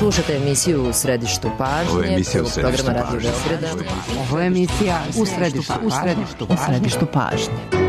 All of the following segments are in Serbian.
Slušate emisiju U središtu pažnje. Ovo je emisija U središtu programa Radio Beograda. Ovo je emisija U središtu pažnje.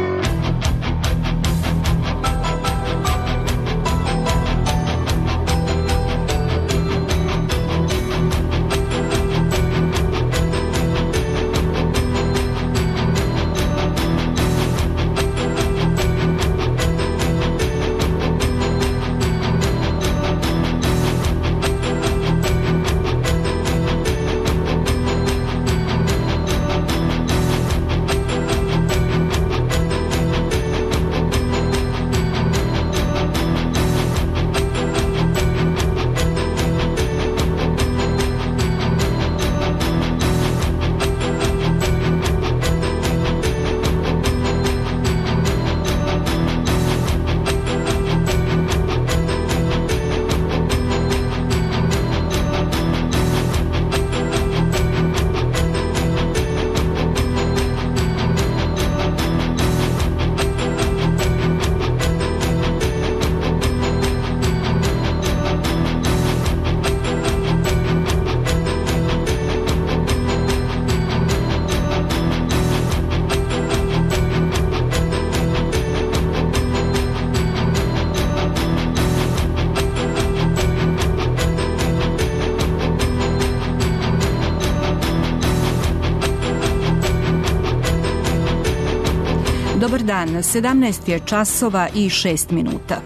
Dobar dan, 17 je časova i 6 minuta.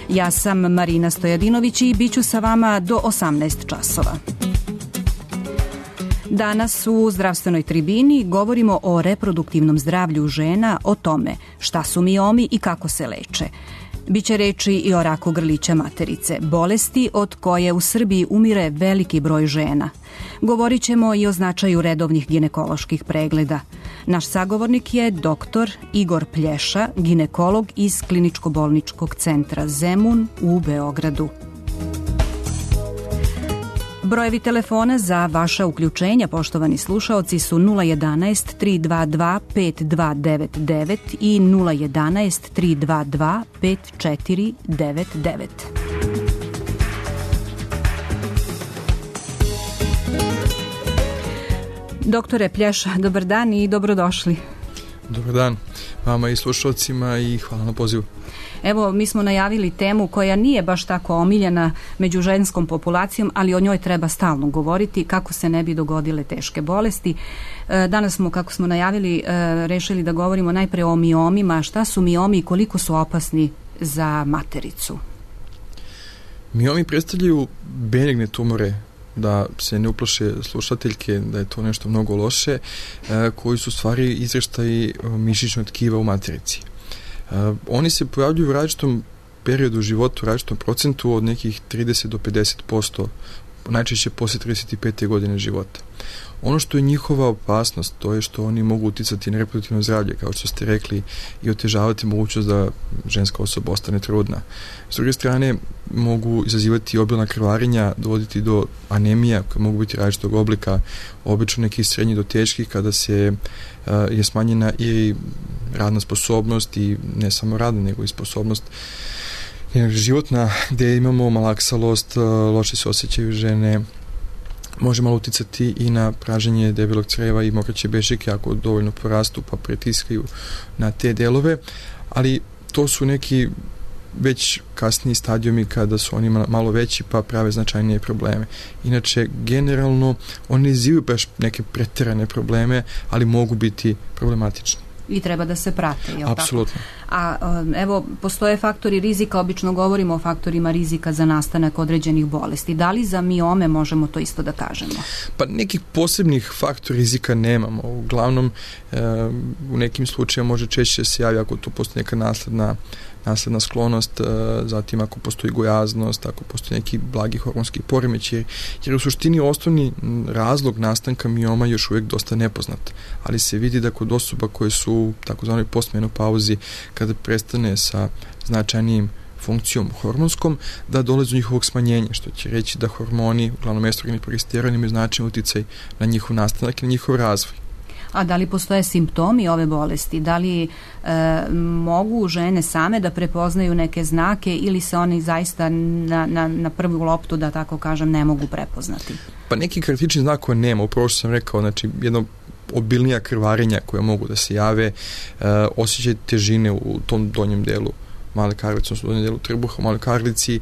Ja sam Marina Stojadinović i bit ću sa vama do 18 časova. Danas u zdravstvenoj tribini govorimo o reproduktivnom zdravlju žena, o tome šta su miomi i kako se leče. Biće reči i o raku grlića materice, bolesti od koje u Srbiji umire veliki broj žena. Govorit ćemo i o značaju redovnih ginekoloških pregleda. Naš sagovornik je dr. Igor Plješa, ginekolog iz Kliničko-bolničkog centra Zemun u Beogradu. Brojevi telefona za vaša uključenja, poštovani slušaoci, su 011 322 5299 i 011 322 5499. Doktore Plješa, dobar dan i dobrodošli. Dobar dan vama i slušalcima i hvala na pozivu. Evo, mi smo najavili temu koja nije baš tako omiljena među ženskom populacijom, ali o njoj treba stalno govoriti kako se ne bi dogodile teške bolesti. Danas smo, kako smo najavili, rešili da govorimo najpre o miomima. Šta su miomi i koliko su opasni za matericu? Miomi predstavljaju benigne tumore, da se ne uplaše slušateljke da je to nešto mnogo loše, koji su stvari izreštaji mišićnog tkiva u materici. Oni se pojavljuju u različitom periodu života, u različitom procentu od nekih 30 do 50%, najčešće posle 35. godine života. Ono što je njihova opasnost, to je što oni mogu uticati na reproduktivno zdravlje, kao što ste rekli, i otežavati mogućnost da ženska osoba ostane trudna. S druge strane, mogu izazivati obilna krvarenja, dovoditi do anemija, koje mogu biti različitog oblika, obično nekih srednjih do teških, kada se je smanjena i radna sposobnost, i ne samo radna, nego i sposobnost životna, gde imamo malaksalost, loše se osjećaju žene, može malo uticati i na praženje debelog creva i mokraće bešike ako dovoljno porastu pa pritiskaju na te delove, ali to su neki već kasniji stadijumi kada su oni malo veći pa prave značajnije probleme. Inače, generalno, oni ne izazivaju baš neke preterane probleme, ali mogu biti problematični. I treba da se prate, je li tako? Apsolutno. A evo, postoje faktori rizika, obično govorimo o faktorima rizika za nastanak određenih bolesti. Da li za miome možemo to isto da kažemo? Pa nekih posebnih faktora rizika nemamo. Uglavnom, u nekim slučajima može češće se javi ako tu postoji neka nasledna sklonost, zatim ako postoji gojaznost, ako postoji neki blagi hormonski poremećaj, jer u suštini osnovni razlog nastanka mioma još uvijek dosta nepoznat, ali se vidi da kod osoba koje su u takozvanoj postmenopauzi, kada prestane sa značajnijim funkcijom hormonskom, da dolazi do njihovog smanjenja, što će reći da hormoni, uglavnom estrogen i progesteron, imaju značajan uticaj na njihov nastanak i na njihov razvoj. A da li postoje simptomi ove bolesti? Da li mogu žene same da prepoznaju neke znake ili se oni zaista na prvu loptu, da tako kažem, ne mogu prepoznati? Pa neki karakteristični znakova nema, upravo što sam rekao, znači jedno obilnija krvarenja koje mogu da se jave, osjećaj težine u tom donjem delu male karlice, odnosno donjem delu trbuha, u maloj karlici,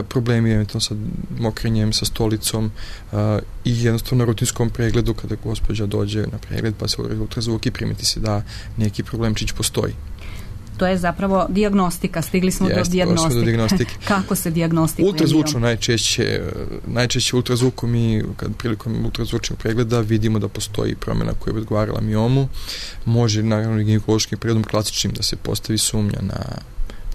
problemi eventualno sa mokrenjem, sa stolicom i jednostavno na rutinskom pregledu kada gospođa dođe na pregled pa se uradi ultrazvuk i primeti se da neki problemčić postoji. To je zapravo dijagnostika, stigli smo do dijagnostike. Kako se dijagnostikuje? Ultrazvučno najčešće ultrazvukom mi, kad prilikom ultrazvučnog pregleda vidimo da postoji promjena koja bi odgovarala miomu. Može naravno ginekološkim pregledom klasičnim da se postavi sumnja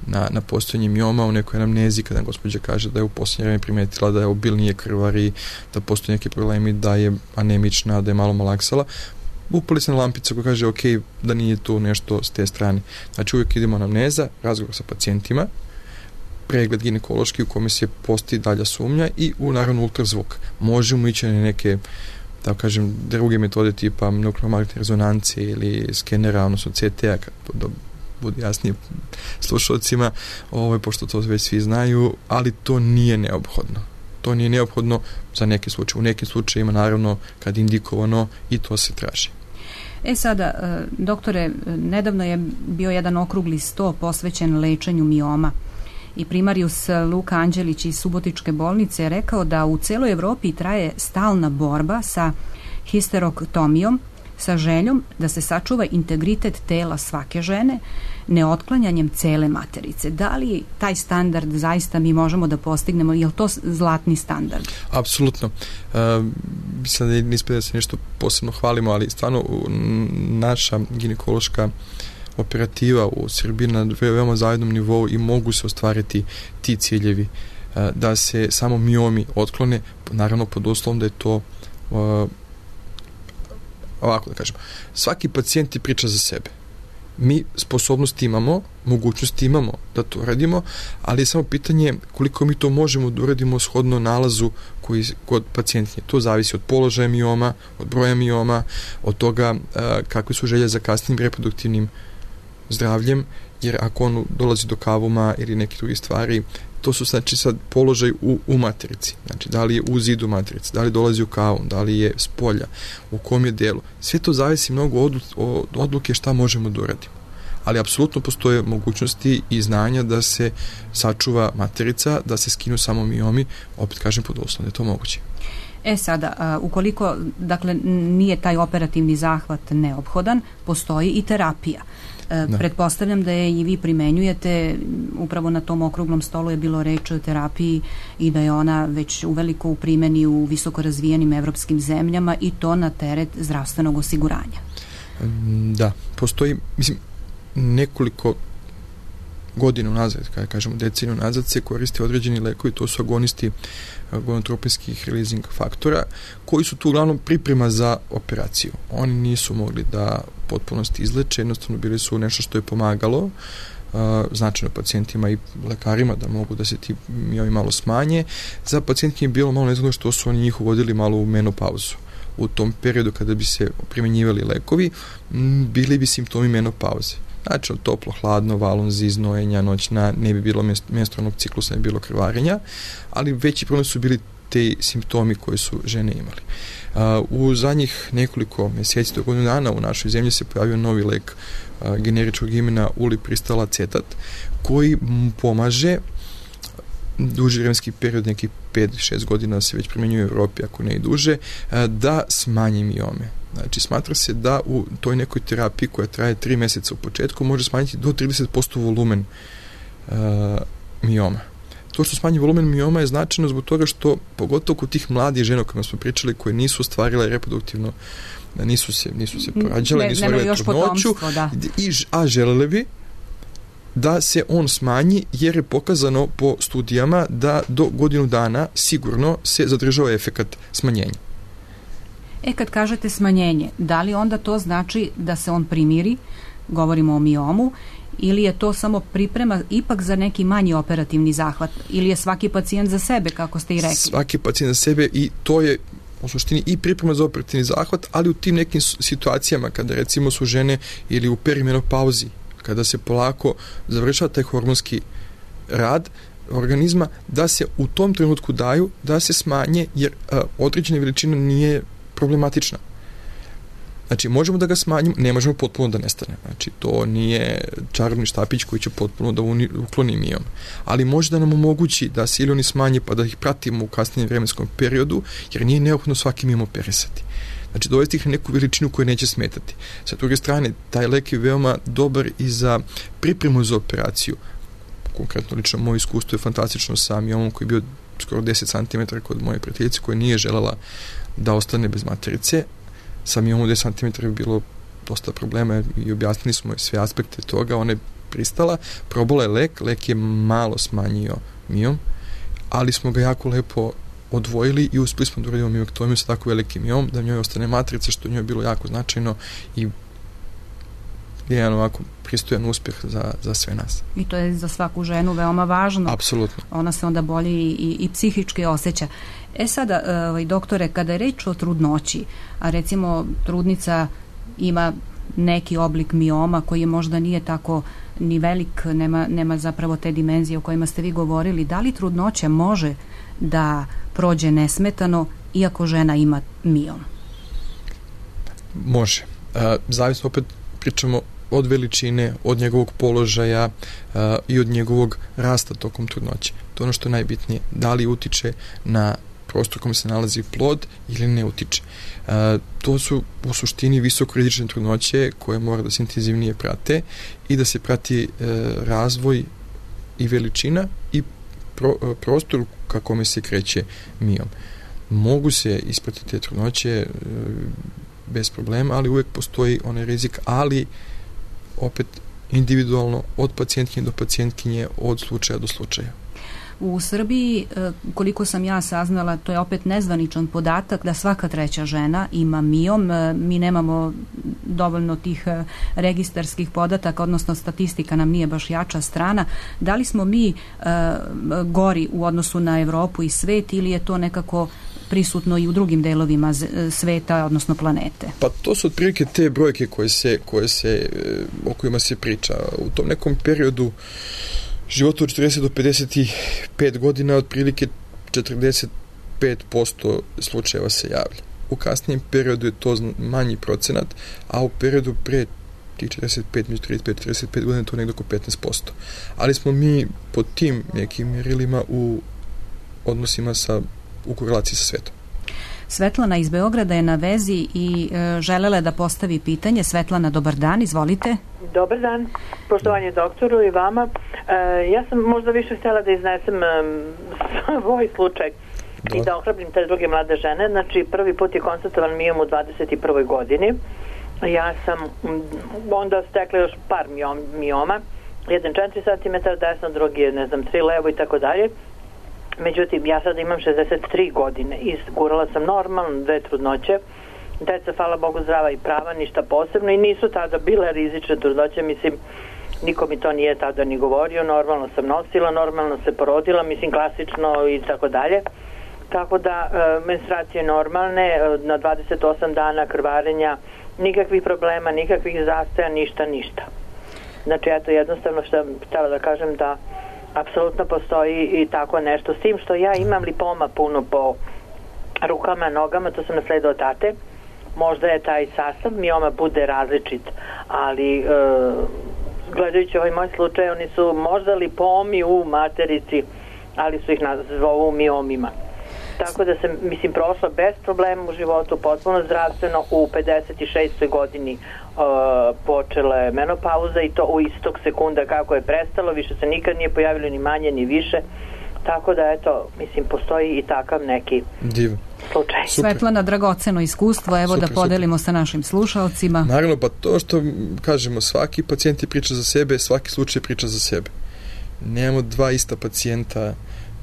na postojanje mioma u nekoj anamnezi kada gospođa kaže da je u posljednje vreme primetila da je obilnije krvari, da postoje neki problemi, da je anemična, da je malo malaksala. Upali se na lampicu koja kaže ok, da nije tu nešto s te strane. Znači uvijek idemo anamneza, razgovor sa pacijentima, pregled ginekološki u kome se postoji dalja sumnja i naravno ultrazvuk. Možemo ići na neke, da kažem, druge metode tipa nukleomagnetne rezonancije ili skenera, odnosno CT-a, da bude jasnije slušalcima, pošto to već svi znaju, ali to nije neophodno. To nije neophodno za neke slučaje. U nekim slučajima, naravno, kad indikovano, i to se traži. Sada, doktore, nedavno je bio jedan okrugli sto posvećen lečenju mioma i primarijus Luka Anđelić iz Subotičke bolnice je rekao da u celoj Evropi traje stalna borba sa histerektomijom, sa željom da se sačuva integritet tela svake žene, neotklanjanjem cele materice. Da li taj standard zaista mi možemo da postignemo? Je li to zlatni standard? Apsolutno. Mislim da ne ispred da se nešto posebno hvalimo, ali stvarno naša ginekološka operativa u Srbiji na veoma zajednom nivou i mogu se ostvariti ti ciljevi da se samo miomi otklone, naravno pod uslovom da je to ovako da kažem, svaki pacijent ti priča za sebe. Mi sposobnosti imamo, mogućnosti imamo da to radimo, ali je samo pitanje koliko mi to možemo da uradimo shodno nalazu koji kod pacijentnje. To zavisi od položaja mioma, od broja mioma, od toga kakve su želje za kasnim reproduktivnim zdravljem, jer ako on dolazi do kavuma ili neke druge stvari, to su znači sad položaj u materici. Znači, da li je u zidu materice, da li dolazi u kavum, da li je s polja, u kom je delu. Sve to zavisi mnogo od odluke šta možemo da uradimo. Ali apsolutno postoje mogućnosti i znanja da se sačuva materica, da se skinu samo miomi, opet kažem pod uslovom da je to moguće. Sada, ukoliko dakle nije taj operativni zahvat neophodan, postoji i terapija. Pretpostavljam da je i vi primenjujete, upravo na tom okruglom stolu je bilo reč o terapiji i da je ona već uveliko u primjeni u visoko razvijenim evropskim zemljama i to na teret zdravstvenog osiguranja. Da, postoji, mislim, nekoliko godina unazad, kada kažemo deceniju nazad, se koriste određeni lekovi, to su agonisti gonotropinskih releasing faktora, koji su tu uglavnom priprema za operaciju. Oni nisu mogli da potpunosti izleče, jednostavno bili su nešto što je pomagalo značajno pacijentima i lekarima da mogu da se ti miomi malo smanje. Za pacijentke je bilo malo nezgodno što su oni njih uvodili malo u menopauzu. U tom periodu kada bi se primjenjivali lekovi, bili bi simptomi menopauze. Znači, toplo, hladno, valonzi, znojenja, noćna, ne bi bilo menstrualnog ciklusa, ne bi bilo krvarenja, ali veći problem su bili te simptomi koje su žene imali. U zadnjih nekoliko mjeseci do godinu dana u našoj zemlji se pojavio novi lek generičkog imena ulipristal acetat, koji pomaže duži vremenski period, nekih 5-6 godina se već primjenjuje u Europi, ako ne i duže, da smanji miome. Znači, smatra se da u toj nekoj terapiji koja traje 3 mjeseca u početku može smanjiti do 30% volumen mioma. To što smanji volumen mioma je značajno zbog toga što, pogotovo kod tih mladih žena o kojima smo pričali, koje nisu ostvarile reproduktivno, nisu se porađale, nisu ostvarile trudnoću, a želele bi da se on smanji, jer je pokazano po studijama da do godinu dana sigurno se zadržava efekat smanjenja. Kad kažete smanjenje, da li onda to znači da se on primiri, govorimo o miomu, ili je to samo priprema ipak za neki manji operativni zahvat, ili je svaki pacijent za sebe, kako ste i rekli? Svaki pacijent za sebe, i to je u suštini i priprema za operativni zahvat, ali u tim nekim situacijama kada recimo su žene ili u perimenopauzi, kada se polako završava taj hormonski rad organizma, da se u tom trenutku daju, da se smanje, jer određena veličina nije problematična. Znači, možemo da ga smanjimo, ne možemo potpuno da nestane. Znači, to nije čarobni štapić koji će potpuno da ukloni miom. Ali može da nam omogući da se ili oni smanje pa da ih pratimo u kasnijem vremenskom periodu, jer nije neophodno svaki miom operisati. Znači, dovesti ih na neku veličinu koja neće smetati. Sa druge strane, taj lek je veoma dobar i za pripremu za operaciju. Konkretno, lično, moje iskustvo je fantastično sa miomom koji je bio skoro 10 cm kod moje prijateljice koja nije želela da ostane bez materice. Sa miomom 10 cm je bilo dosta problema i objasnili smo sve aspekte toga. Ona je pristala, probala je lek je malo smanjio miom, ali smo ga jako lepo odvojili i uspeli smo da uradimo miomektomiju sa tako velikim miom, da njoj ostane matrica, što njoj je bilo jako značajno i jedan ovako pristojan uspjeh za sve nas. I to je za svaku ženu veoma važno. Apsolutno. Ona se onda bolje i psihički osjeća. Sada, doktore, kada je reč o trudnoći, a recimo trudnica ima neki oblik mioma koji možda nije tako ni velik, nema zapravo te dimenzije o kojima ste vi govorili, da li trudnoća može da prođe nesmetano iako žena ima miom? Može. Zavisno, opet pričamo od veličine, od njegovog položaja i od njegovog rasta tokom trudnoće. To je ono što je najbitnije. Da li utiče na prostor kome se nalazi plod ili ne utiče. To su u suštini visokorizične trudnoće koje mora da se intenzivnije prate i da se prati razvoj i veličina i prostor ka kome se kreće miom. Mogu se ispratiti te trudnoće bez problema, ali uvek postoji onaj rizik, ali opet individualno od pacijentkinje do pacijentkinje, od slučaja do slučaja. U Srbiji, koliko sam ja saznala, to je opet nezvaničan podatak da svaka treća žena ima miom. Mi nemamo dovoljno tih registarskih podataka, odnosno statistika nam nije baš jača strana. Da li smo mi gori u odnosu na Evropu i svet ili je to nekako prisutno i u drugim delovima sveta, odnosno planete? Pa to su otprilike te brojke o kojima se priča. U tom nekom periodu života od 40 do 55 godina otprilike 45% slučajeva se javlja. U kasnijem periodu je to manji procenat, a u periodu pre tih 45, među 35 i 45 godina je to nekdo oko 15%. Ali smo mi po tim nekim mjerilima u odnosima u korelaciji sa svetom. Svetlana iz Beograda je na vezi i želela da postavi pitanje. Svetlana, dobar dan, izvolite. Dobar dan, poštovanje doktoru i vama. Ja sam možda više htjela da iznesem svoj slučaj i da ohrabrim te druge mlade žene. Znači, prvi put je konstatovan miom u 21. godini. Ja sam onda stekla još par mioma. Jedan 4 cm desno, drugi je, 3 levo i tako dalje. Međutim, ja sada imam 63 godine i gurala sam normalno 2 trudnoće. Deca, hvala Bogu, zdrava i prava, ništa posebno i nisu tada bile rizične trudnoće, mislim, niko mi to nije tada ni govorio, normalno sam nosila, normalno se porodila, mislim, klasično i tako dalje. Tako da, menstruacije normalne, na 28 dana krvarenja, nikakvih problema, nikakvih zastoja, ništa. Znači, eto, jednostavno što sam htjela da kažem da apsolutno postoji i tako nešto. S tim što ja imam lipoma puno po rukama, nogama, to sam nasledila od tate. Možda je taj sastav mioma bude različit, ali gledajući ovaj moj slučaj, oni su možda lipomi u materici, ali su ih zovu miomima. Tako da sam, mislim, prošla bez problema u životu, potpuno zdravstveno, u 56. godini počela je menopauza i to u istog sekunda kako je prestalo, više se nikad nije pojavilo ni manje ni više, tako da eto, mislim, postoji i takav neki slučaj. Super. Svetlana, dragoceno iskustvo, evo super, da podelimo sa našim slušalcima. Naravno, pa to što kažemo, svaki pacijent je priča za sebe, svaki slučaj priča za sebe. Nemamo dva ista pacijenta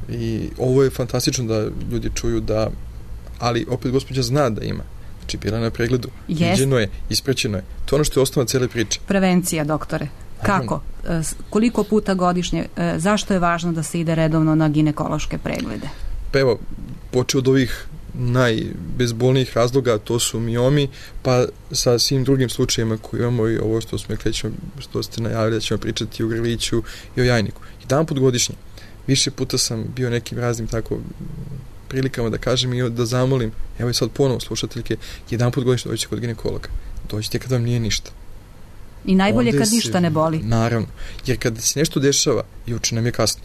i ovo je fantastično da ljudi čuju da, ali opet gospođa zna da ima. Znači, bila na pregledu, viđeno je, ispraćeno je. To je ono što je osnova cele priče. Prevencija, doktore. Kako? Koliko puta godišnje? Zašto je važno da se ide redovno na ginekološke preglede? Pa evo, počeo od ovih najbezbolnijih razloga, to su miomi, pa sa svim drugim slučajima koji imamo i ovo što smo što ste najavili da ćemo pričati o grliću i o jajniku. Jedan put godišnje. Više puta sam bio nekim raznim tako prilikama da kažem i da zamolim, evo i sad ponovo slušateljke, jedan put godišnje dođete kod ginekologa. Dođite kad vam nije ništa. I najbolje kad ništa ne boli. Naravno, jer kad se nešto dešava, juče nam je kasno.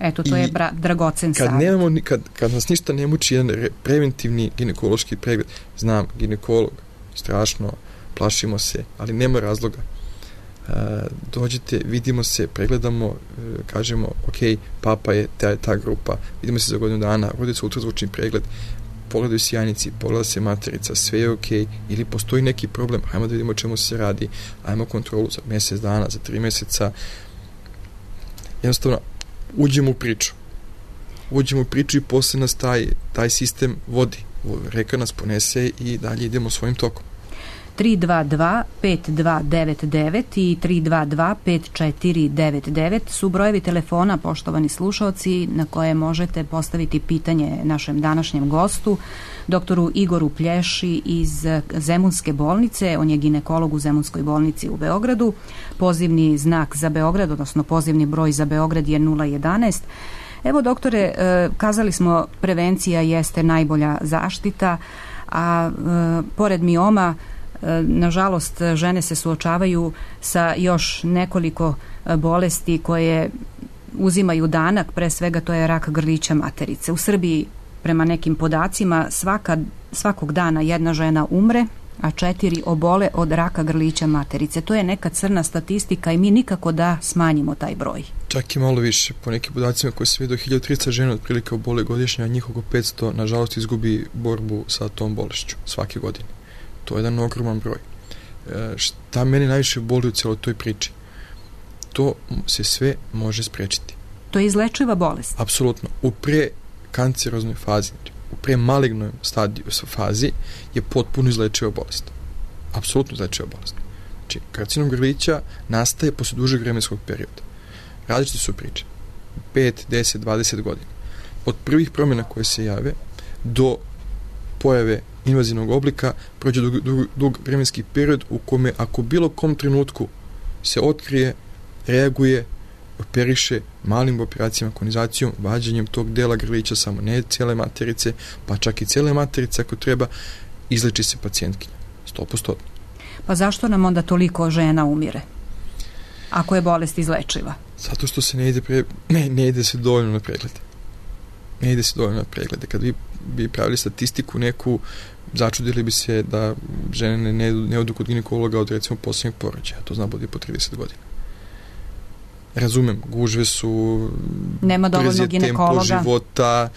Eto, to je dragocen savjet. Kad nas ništa ne muči, jedan preventivni ginekološki pregled, znam, ginekolog, strašno, plašimo se, ali nema razloga. Dođite, vidimo se, pregledamo, kažemo, ok, papa je ta grupa, vidimo se za godinu dana, rodi se ultrazvučni pregled, pogledaju se jajnici, pogleda se materica, sve je ok, ili postoji neki problem, ajmo da vidimo o čemu se radi, ajmo kontrolu za mjesec dana, za 3 mjeseca. Jednostavno, uđemo u priču i posle nas taj sistem vodi. Reka nas ponese i dalje idemo svojim tokom. 322-5299 i 322-5499 su brojevi telefona, poštovani slušaoci, na koje možete postaviti pitanje našem današnjem gostu, doktoru Igoru Plješi iz Zemunske bolnice. On je ginekolog u Zemunskoj bolnici u Beogradu. Pozivni znak za Beograd, odnosno pozivni broj za Beograd je 011. Evo, doktore, kazali smo, prevencija jeste najbolja zaštita, a pored mioma, nažalost, žene se suočavaju sa još nekoliko bolesti koje uzimaju danak, pre svega to je rak grlića materice. U Srbiji, prema nekim podacima, svakog dana jedna žena umre, a 4 obole od raka grlića materice. To je neka crna statistika i mi nikako da smanjimo taj broj. Čak i malo više. Po nekim podacima koji se vidi, 1300 žena otprilike obole godišnje, a njih oko 500, nažalost, izgubi borbu sa tom bolešću svake godine. To je jedan ogroman broj. Šta meni najviše boli u cijeloj toj priči? To se sve može sprečiti. To je izlečiva bolest? Apsolutno. U prekanceroznoj fazi, u premalignoj fazi je potpuno izlečiva bolest. Apsolutno izlečiva bolest. Znači, karcinom grlića nastaje posle dužeg vremenskog perioda. Različite su priče. 5, 10, 20 godina. Od prvih promjena koje se jave do pojave invazivnog oblika prođe dug vremenski period u kome ako bilo kom trenutku se otkrije, reaguje, operiše malim operacijama, konizacijom, vađenjem tog dela grlića, samo ne cijele materice, pa čak i cijele materice ako treba, izleči se pacijentkinja. 100%. Pa zašto nam onda toliko žena umire? Ako je bolest izlečiva? Zato što se ne ide se dovoljno na preglede. Ne ide se dovoljno na preglede. Kad vi bi pravili statistiku neku, začudili bi se da žene ne odu kod ginekologa od recimo posljednjeg porođaja. To zna bude po 30 godina. Razumem, gužve su, nema dovoljno ginekologa, tempo života,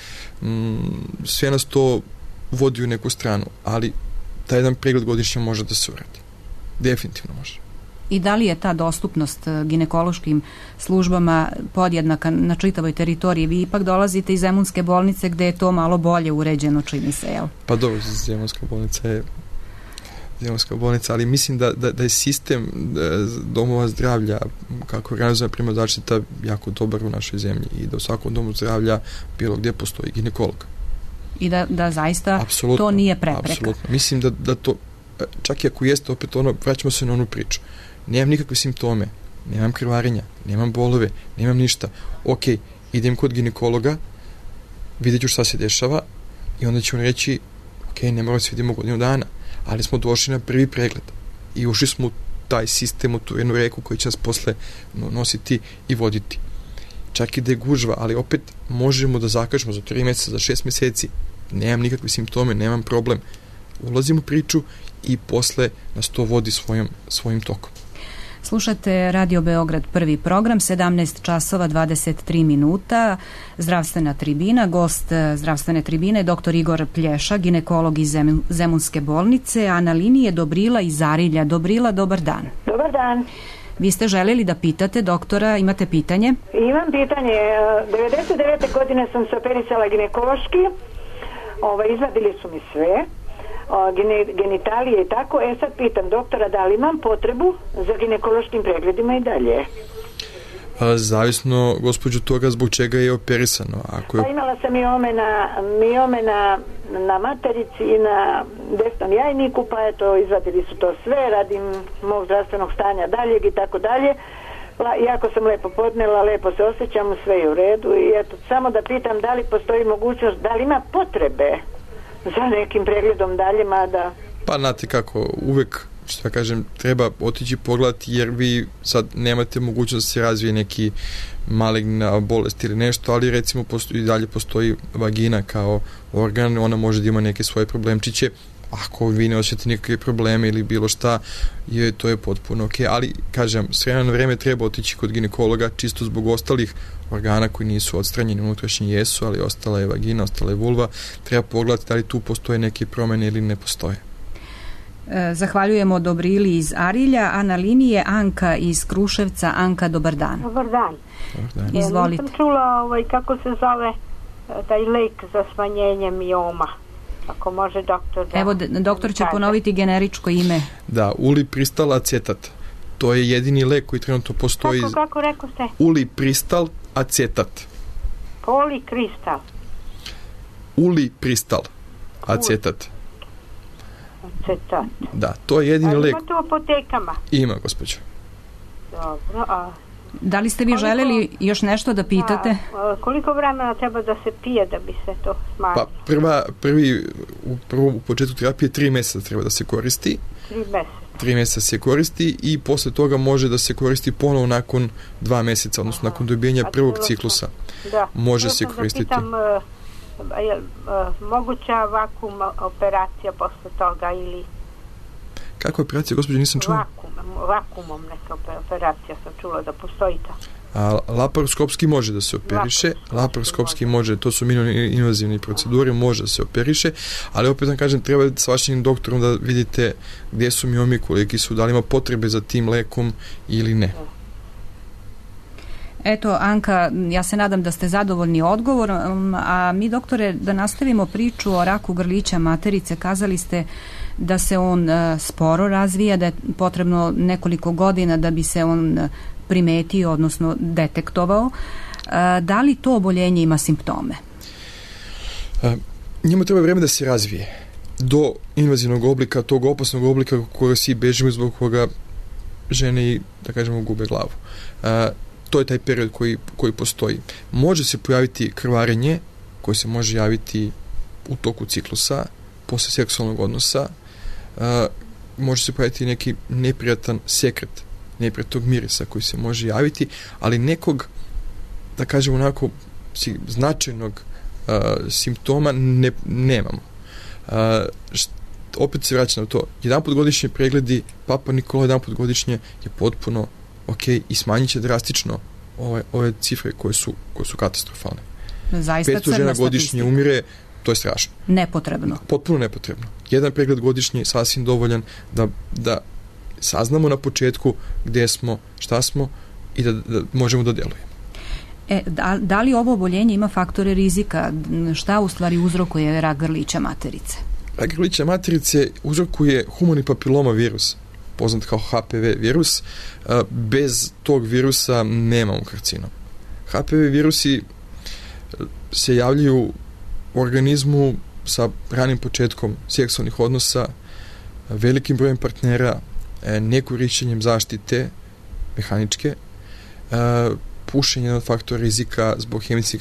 sve nas to vodi u neku stranu, ali taj jedan pregled godišnje može da se uradi. Definitivno može. I da li je ta dostupnost ginekološkim službama podjednaka na čitavoj teritoriji? Vi ipak dolazite iz Zemunske bolnice gde je to malo bolje uređeno, čini se, jel? Pa dobro, Zemunska bolnica, ali mislim da je sistem domova zdravlja, kako organizuje primarna zaštita, jako dobar u našoj zemlji i da u svakom domu zdravlja bilo gdje postoji ginekolog. I da zaista to nije prepreka. Apsolutno. Mislim da to, čak i ako jeste, opet vraćamo se na onu priču. Nemam nikakve simptome, nemam krvarenja, nemam bolove, nemam ništa. Ok, idem kod ginekologa, vidjet ću šta se dešava i onda će on reći, ok, ne moramo se vidimo godinu dana, ali smo došli na prvi pregled i ušli smo u taj sistem, u tu jednu reku koji će nas posle nositi i voditi. Čak i da je gužva, ali opet možemo da zakažemo za 3 mjeseca, za 6 mjeseci. Nemam nikakve simptome, nemam problem. Ulazimo u priču i posle nas to vodi svojim tokom. Slušate Radio Beograd, prvi program, 17 časova 23 minuta, zdravstvena tribina, gost zdravstvene tribine, dr. Igor Plješa, ginekolog iz Zemunske bolnice, a na liniji je Dobrila iz Arilja. Dobrila, dobar dan. Dobar dan. Vi ste željeli da pitate doktora, imate pitanje? Imam pitanje. 99. godine sam se operisala ginekološki, izvadili su mi sve, genitalije i tako. Sad pitam doktora da li imam potrebu za ginekološkim pregledima i dalje. Zavisno, gospođo, toga zbog čega je operisano. Ako je... Pa imala sam miome na materici i na desnom jajniku, pa eto, izvadili su to sve, radim mog zdravstvenog stanja daljeg i tako dalje. Jako sam lepo podnela, lepo se osjećam, sve je u redu i eto, samo da pitam da li postoji mogućnost, da li ima potrebe za nekim pregledom dalje, mada... Pa, znate kako, uvek, što ja kažem, treba otići pogledati, jer vi sad nemate mogućnost da se razvije neki maligna bolest ili nešto, ali recimo i dalje postoji vagina kao organ, ona može da ima neke svoje problemčiće. Ako vi ne osjetite nikakve probleme ili bilo šta, to je potpuno ok. Ali, kažem, s vremena na vreme treba otići kod ginekologa, čisto zbog ostalih organa koji nisu odstranjeni, unutrašnji jesu, ali ostala je vagina, ostala je vulva. Treba pogledati da li tu postoje neke promene ili ne postoje. Zahvaljujemo Dobrili iz Arilja, a na liniji je Anka iz Kruševca. Anka, dobar dan. Dobar dan. Izvolite. Nisam čula kako se zove taj lek za smanjenje mioma. Ako može doktor da... Evo, doktor će ponoviti generičko ime. Da, ulipristal acetat. To je jedini lek koji trenutno postoji. Kako rekao ste? Ulipristal acetat. Polikristal. Ulipristal acetat. Acetat. Da, to je jedini lek. Ima to u apotekama? Ima, gospođo. Dobro, a... Da li ste vi želeli još nešto da pitate? Koliko vremena treba da se pije da bi se to smanjilo? Pa u početku terapije 3 mjeseca treba da se koristi. 3 mjeseca. 3 mjeseca se koristi i posle toga može da se koristi ponovo nakon 2 mjeseca, odnosno nakon dobijanja prvog ciklusa. Da. Može se koristiti. Da pitam, je moguća vakum operacija posle toga ili... Kakva operacija, gospođo, nisam čula? Vakumom neka operacija sam čula da postoji ta. Laparoskopski može da se operiše, laparoskopski može, to su invazivne procedure, može da se operiše, ali opet vam kažem, treba s vašim doktorom da vidite gdje su miomi, koliki su, da li ima potrebe za tim lekom ili ne. Eto, Anka, ja se nadam da ste zadovoljni odgovorom, a mi, doktore, da nastavimo priču o raku grlića materice. Kazali ste da se on sporo razvija, da je potrebno nekoliko godina da bi se on primetio, odnosno detektovao. Da li to oboljenje ima simptome? Njemu treba vreme da se razvije do invazivnog oblika, tog opasnog oblika koga svi bežimo, zbog koga žene i, da kažemo, gube glavu. To je taj period koji postoji. Može se pojaviti krvarenje koje se može javiti u toku ciklusa, posle seksualnog odnosa. Može se pojaviti neki neprijatan sekret, neprijatnog mirisa koji se može javiti, ali nekog, da kažemo onako, značajnog simptoma nemamo. Opet se vraća na to. Jedanput godišnje pregledi Papa Nikola jedanput godišnje je potpuno ok i smanjit će drastično ove cifre koje su katastrofalne. Zaista 500 žena godišnje umire, to je strašno. Nepotrebno. Potpuno nepotrebno. Jedan pregled godišnje je sasvim dovoljan da saznamo na početku gdje smo, šta smo i da možemo da djelujemo. Da li ovo oboljenje ima faktore rizika? Šta u stvari uzrokuje rak grlića materice? Rak grlića materice uzrokuje humani papiloma virus, poznat kao HPV virus. Bez tog virusa nemamo karcinom. HPV virusi se javljaju u organizmu sa ranim početkom seksualnih odnosa, velikim brojem partnera, nekorišćenjem zaštite mehaničke, pušenje od faktora rizika zbog hemijske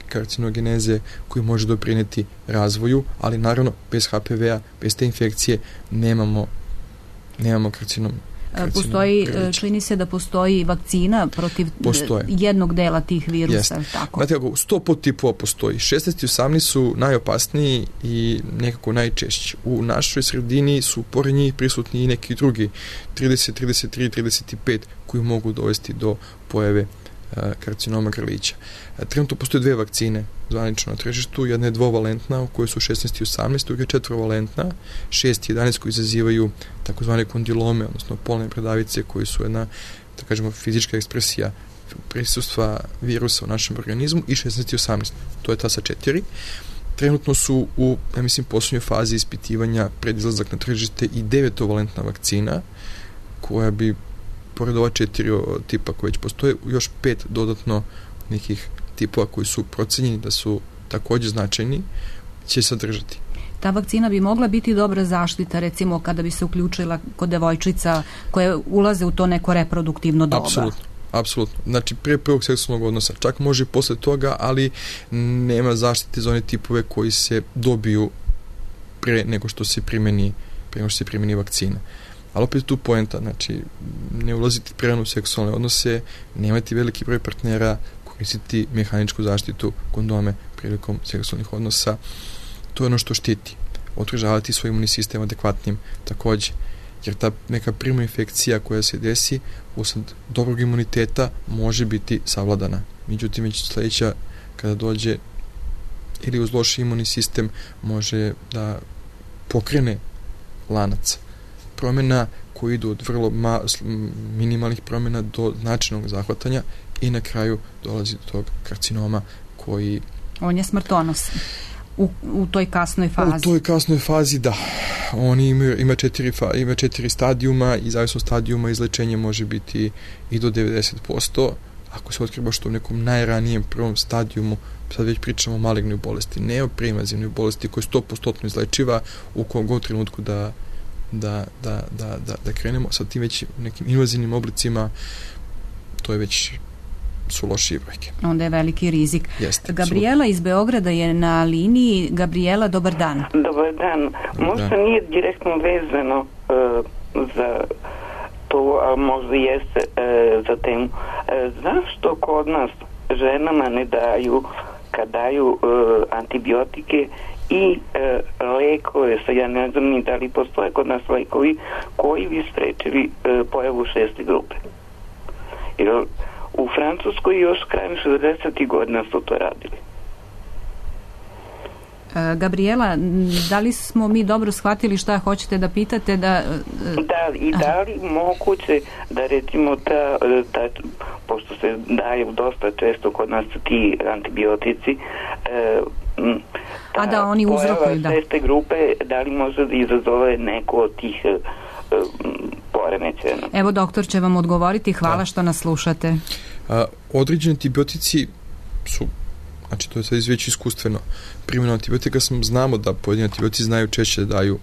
karcinogeneze koji može doprineti razvoju, ali naravno bez HPV-a, bez te infekcije nemamo karcinom. Čini se da postoji vakcina protiv jednog dela tih virusa. Tako. Znate kako, 100 podtipova postoji. 16 i 18 su najopasniji i nekako najčešći. U našoj sredini su pored njih prisutni i neki drugi 30, 33, 35 koji mogu dovesti do pojave karcinoma grlića. Trenutno postoje 2 vakcine zvanično na tržištu. Jedna je dvovalentna u kojoj su 16 i 18, druga je 4-valentna, 6 i 11 koji izazivaju takozvane kondilome, odnosno polne bradavice koji su jedna, da kažemo, fizička ekspresija prisustva virusa u našem organizmu, i 16 i 18. To je ta sa 4. Trenutno su u, ja mislim, posljednjoj fazi ispitivanja pred izlazak na tržište i 9-valentna vakcina koja bi pored ova 4 tipa koji već postoje, još 5 dodatno nekih tipova koji su procenjeni da su takođe značajni, će sadržati. Ta vakcina bi mogla biti dobra zaštita, recimo kada bi se uključila kod devojčica koje ulaze u to neko reproduktivno doba. Apsolutno. Znači, pre prvog seksualnog odnosa. Čak može i posle toga, ali nema zaštite za one tipove koji se dobiju pre nego što se primeni vakcina. Ali opet tu poenta, znači, ne ulaziti prerano u seksualne odnose, nemati veliki broj partnera, koristiti mehaničku zaštitu, kondome prilikom seksualnih odnosa. To je ono što štiti. Održavati svoj imunni sistem adekvatnim takođe. Jer ta neka primarna infekcija koja se desi usled dobrog imuniteta može biti savladana. Međutim, već sledeća kada dođe ili uz loš imunni sistem može da pokrene lanac promjena koji idu od vrlo minimalnih promjena do značajnog zahvatanja i na kraju dolazi do tog karcinoma koji... On je smrtonosan. U toj kasnoj fazi. U toj kasnoj fazi, da. On ima 4 stadijuma i zavisno stadijuma izlečenje može biti i do 90%. Ako se otkrije baš u nekom najranijem prvom stadijumu, sad već pričamo o malignoj bolesti, ne o preinvazivnoj bolesti koja je 100% izlečiva u kom god trenutku da krenemo. Sa tim već nekim invazivnim oblicima to je već su lošije brojke. Onda je veliki rizik. Jeste, Gabriela iz Beograda je na liniji. Gabriela, dobar dan. Dobar dan. Možda nije direktno vezano za to, ali možda jeste za temu. Zašto kod nas ženama ne daju, kad daju antibiotike i lekove, ja ne znam ni da li postoje kod nas lekovi koji bi sprečili pojavu 6. grupe. Jer u Francuskoj još krajem 60. godina su to radili. Gabriela, da li smo mi dobro shvatili šta hoćete da pitate? Da, i da li moguće da recimo pošto se daju dosta često kod nas ti antibiotici, da oni uzrokuju, da. Šeste grupe, da li može da izazove neko od tih poremećaja? Evo, doktor će vam odgovoriti. Hvala što nas slušate. Određeni antibiotici su, znači to je sad već iskustveno, primjena antibiotika znamo da pojedini antibiotici znaju češće da daju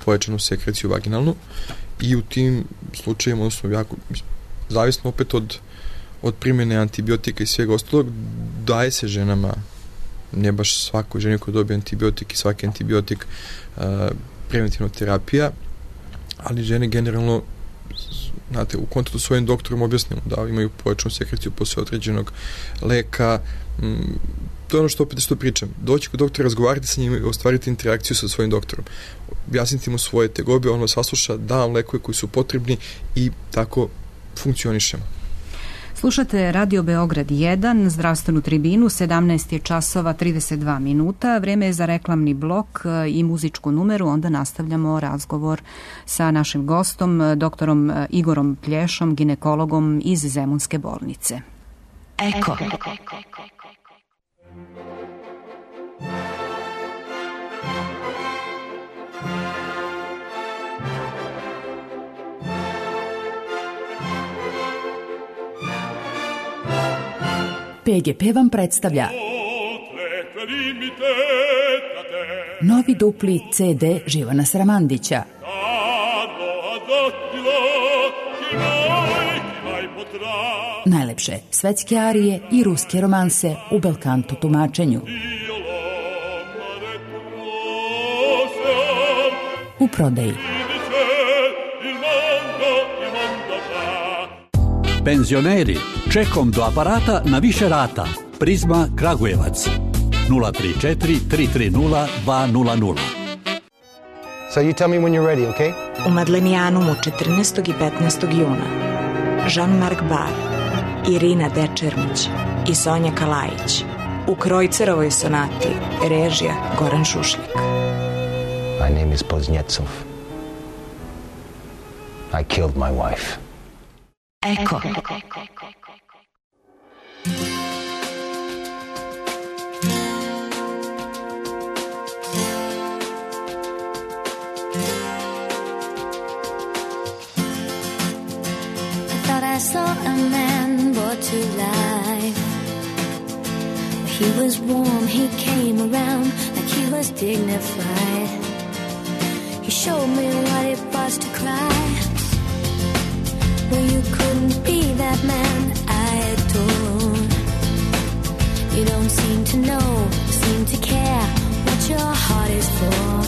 pojačanu sekreciju vaginalnu i u tim slučajima, odnosno jako, zavisno opet od primjene antibiotika i svega ostalog, daje se ženama, ne baš svakoj ženi koja dobije antibiotik i svaki antibiotik preventivna terapija, ali žene generalno, znate, u kontaktu s svojim doktorom objasnimo da imaju pojačanu sekreciju posle određenog leka. To je ono što opet što pričam. Doći kod doktora, razgovarati sa njim i ostvariti interakciju sa svojim doktorom. Objasniti mu svoje tegobe, on vas sasluša, da vam lekove koji su potrebni i tako funkcionišemo. Slušate Radio Beograd 1, zdravstvenu tribinu, 17 je časova 32 minuta. Vreme je za reklamni blok i muzičku numeru, onda nastavljamo razgovor sa našim gostom, doktorom Igorom Plješom, ginekologom iz Zemunske bolnice. Eko. PGP vam predstavlja novi dupli CD Živana Sramandića. Najlepše svetske arije i ruske romanse u belkanto tumačenju. U prodaji. Penzioneri, čekom do aparata na više rata. Prizma Kragujevac 034 330 200. So you tell me when you're ready, okay? U Madlenijanumu 14. i 15. juna Jean-Marc Bar, Irina Dečermić i Sonja Kalajić u Krojcerovoj sonati, režija Goran Šušljak. My name is Poznjecov. I killed my wife. Eko. He was warm, he came around like he was dignified. He showed me what it was to cry. Well, you couldn't be that man I adore. You don't seem to know, seem to care what your heart is for.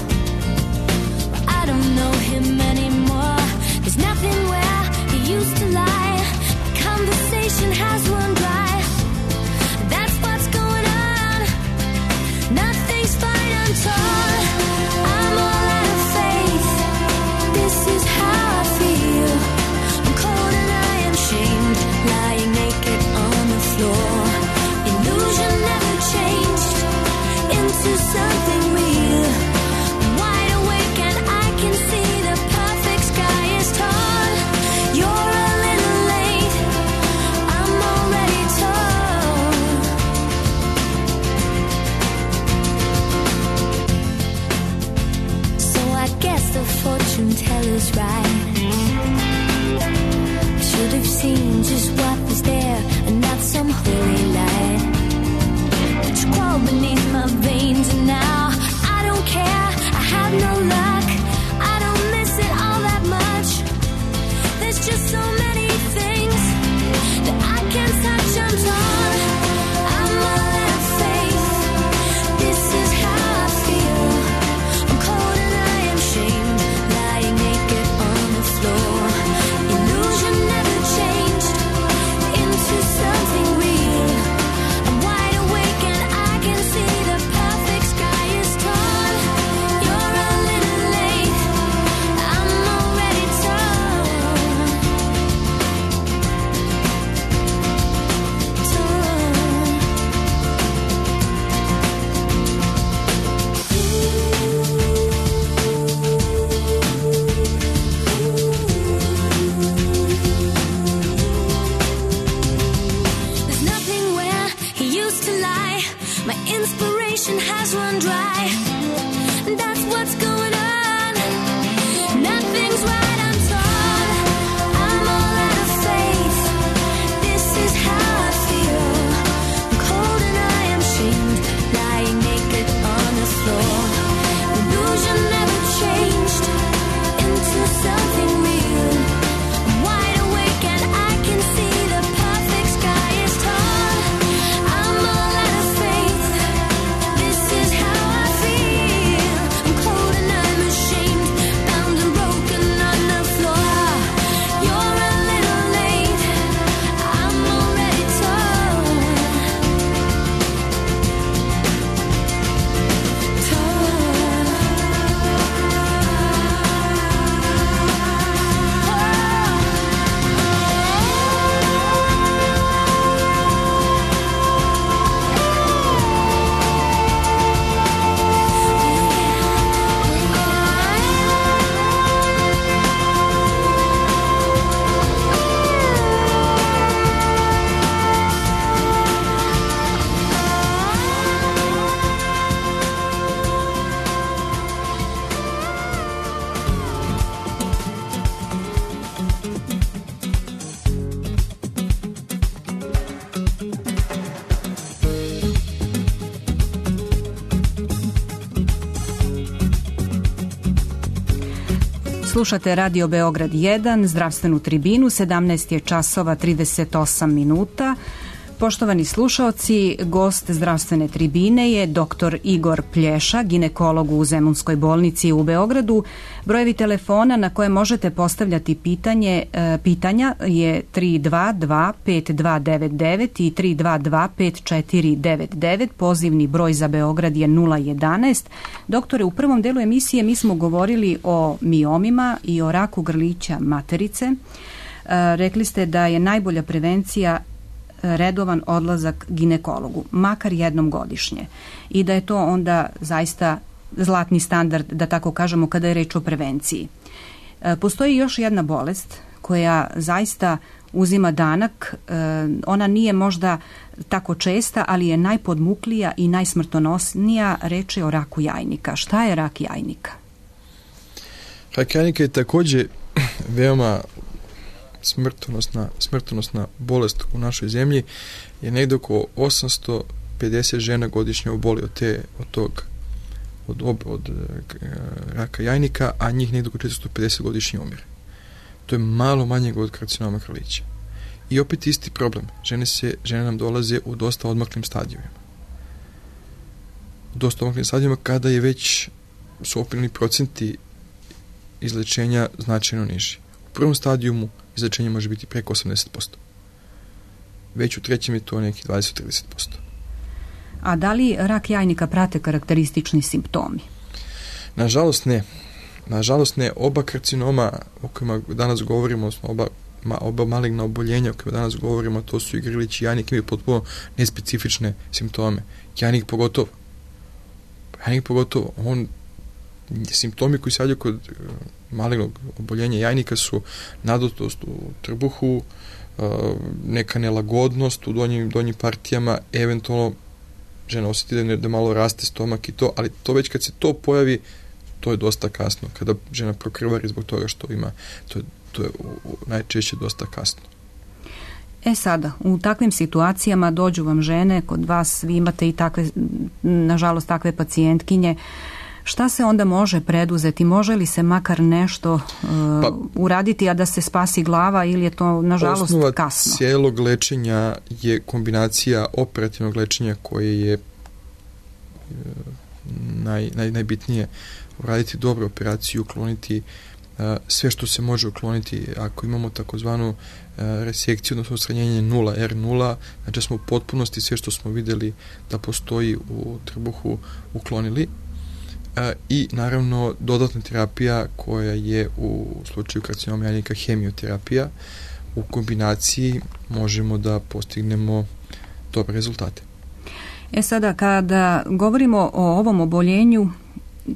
Well, I don't know him anymore. There's nothing where he used to lie. The conversation has run dry. That's what's going on. Nothing's fine, I'm torn. I'm all out of faith. This is how I feel. I'm cold and I am shamed, lying naked on the floor. Illusion never changed into something real. I'm wide awake and I can see the perfect sky is torn. You're a little late, I'm already torn. So I guess the fortune teller's right. I should have seen just what was there and not some holy light. But you crawl beneath my veins and now I don't care, I have no luck. I don't miss it all that much. There's just so many things that I can't touch, I'm torn. I'm all out of faith. This is how I feel. I'm cold and I am shamed, lying naked on the floor. Illusion never changed into something real. I'm wide awake and I can see the perfect sky is torn. You're a little late, I'm already torn. There's nothing where he used to lie. My inspiration has run dry. That's what's going on. Nothing's right, I'm torn. I'm all out of faith. This is how I feel. I'm cold and I am shamed, lying naked on the floor. Illusion never changed into something real. I'm wide awake and I can see the perfect sky is torn. I'm all out of faith. This is how I feel. I'm cold and I'm ashamed, bound and broken on the floor. You're a little late, I'm already torn. Slušate Radio Beograd 1, zdravstvenu tribinu, 17 je časova 38 minuta. Poštovani slušaoci, gost zdravstvene tribine je dr. Igor Plješa, ginekolog u Zemunskoj bolnici u Beogradu. Brojevi telefona na koje možete postavljati pitanja je 322-5299 i 322-5499. Pozivni broj za Beograd je 011. Doktore, u prvom delu emisije mi smo govorili o miomima i o raku grlića materice. Rekli ste da je najbolja prevencija redovan odlazak ginekologu, makar jednom godišnje, i da je to onda zaista zlatni standard, da tako kažemo, kada je reč o prevenciji. Postoji još jedna bolest koja zaista uzima danak, ona nije možda tako česta, ali je najpodmuklija i najsmrtonosnija, reč je o raku jajnika. Šta je rak jajnika? Rak jajnika je također veoma smrtonosna bolest u našoj zemlji, je negdje oko 800 50 žena godišnje oboli od raka jajnika, a njih negdje oko 450 godišnje umire. To je malo manje od karcinoma grlića. I opet isti problem. Žene nam dolaze u dosta odmaklim stadijima. U dosta odmaklim stadijima kada je već su opirni procenti izlečenja značajno niži. U prvom stadijumu izlečenje može biti preko 80%. Već u trećem je to neki 20-30%. A da li rak jajnika prate karakteristični simptomi? Nažalost ne. Nažalost ne. Oba karcinoma o kojima danas govorimo, oba maligna oboljenja o kojima danas govorimo, to su i grlić i jajnik, imaju potpuno nespecifične simptome. Jajnik pogotovo. Simptomi koji se javljaju kod malignog oboljenja jajnika su nadutost u trbuhu, neka nelagodnost u donjim partijama, eventualno žena osjeti da malo raste stomak i to, ali to već kad se to pojavi, to je dosta kasno. Kada žena prokrvari zbog toga što ima, to je najčešće dosta kasno. Sada, u takvim situacijama dođu vam žene, kod vas vi imate i takve, nažalost, takve pacijentkinje. Šta se onda može preduzeti? Može li se makar nešto uraditi, a da se spasi glava, ili je to, nažalost, osnova kasno? Osnova cijelog lečenja je kombinacija operativnog lečenja koje je najbitnije. Uraditi dobru operaciju, ukloniti sve što se može ukloniti. Ako imamo takozvanu resekciju, odnosno odstranjenje 0, R0, znači smo u potpunosti sve što smo vidjeli da postoji u trbuhu uklonili. I naravno dodatna terapija koja je u slučaju karcinoma jajnika hemioterapija. U kombinaciji možemo da postignemo dobre rezultate. Sada, kada govorimo o ovom oboljenju,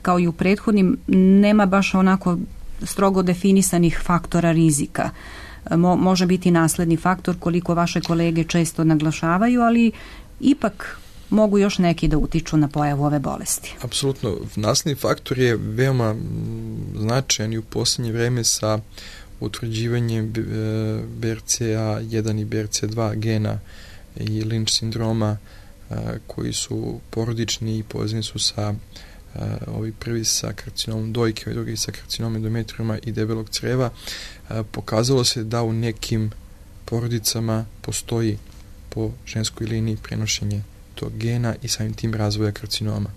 kao i u prethodnim, nema baš onako strogo definisanih faktora rizika. Može biti nasledni faktor, koliko vaše kolege često naglašavaju, ali ipak mogu još neki da utiču na pojavu ove bolesti. Apsolutno. Nasledni faktor je veoma značajan i u posljednje vreme sa utvrđivanjem BRCA1 i BRCA2 gena i Lynch sindroma koji su porodični i povezani su sa ovi prvi sa karcinomom dojke, ovi drugi sa karcinomom endometriuma i debelog creva. Pokazalo se da u nekim porodicama postoji po ženskoj liniji prenošenje tog gena i samim tim razvoja karcinoma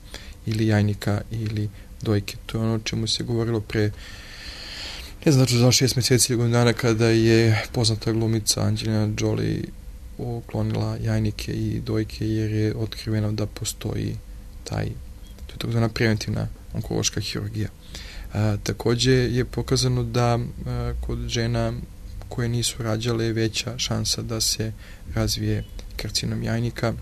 ili jajnika ili dojke. To je ono o čemu se govorilo pre, ne znam, za 6 mjeseci ili godinu dana, kada je poznata glumica Angelina Jolie uklonila jajnike i dojke jer je otkriveno da postoji to je takozvana preventivna onkološka hirurgija. Također je pokazano da kod žena koje nisu rađale je veća šansa da se razvije karcinom jajnika,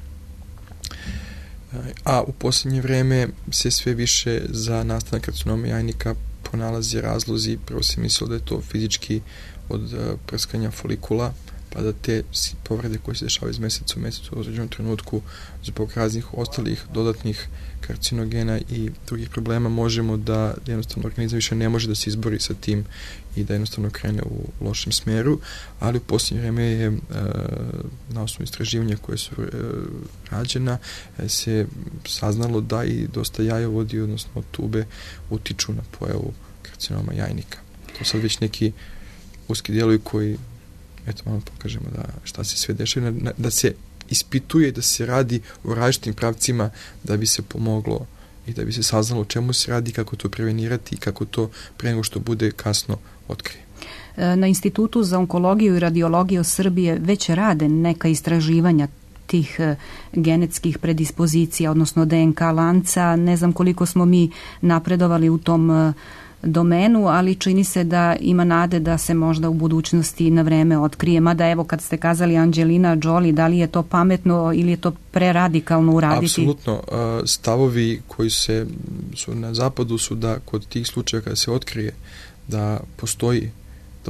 a u posljednje vreme se sve više za nastanak karcinoma jajnika pronalaze razlozi. Prvo se mislilo da je to fizički od prskanja folikula, pa da te povrede koje se dešavaju iz mjeseca u mjesecu u određenom trenutku zbog raznih ostalih dodatnih karcinogena i drugih problema možemo da jednostavno organizam više ne može da se izbori sa tim i da jednostavno krene u lošem smjeru, ali u posljednje vrijeme je na osnovu istraživanja koje su rađena se saznalo da i dosta jajovodi, odnosno tube, utiču na pojavu karcinoma jajnika. To sad već neki uski dijelovi koji, eto malo pokažemo da šta se sve dešava, da se ispituje, da se radi u različitim pravcima da bi se pomoglo i da bi se saznalo o čemu se radi, kako to prevenirati i kako to pre nego što bude kasno otkrije. Na Institutu za onkologiju i radiologiju Srbije već rade neka istraživanja tih genetskih predispozicija, odnosno DNK lanca. Ne znam koliko smo mi napredovali u tom domenu, ali čini se da ima nade da se možda u budućnosti na vreme otkrije. Mada evo kad ste kazali Angelina Jolie, da li je to pametno ili je to preradikalno uraditi? Apsolutno. Stavovi koji su na zapadu su da kod tih slučaja kada se otkrije da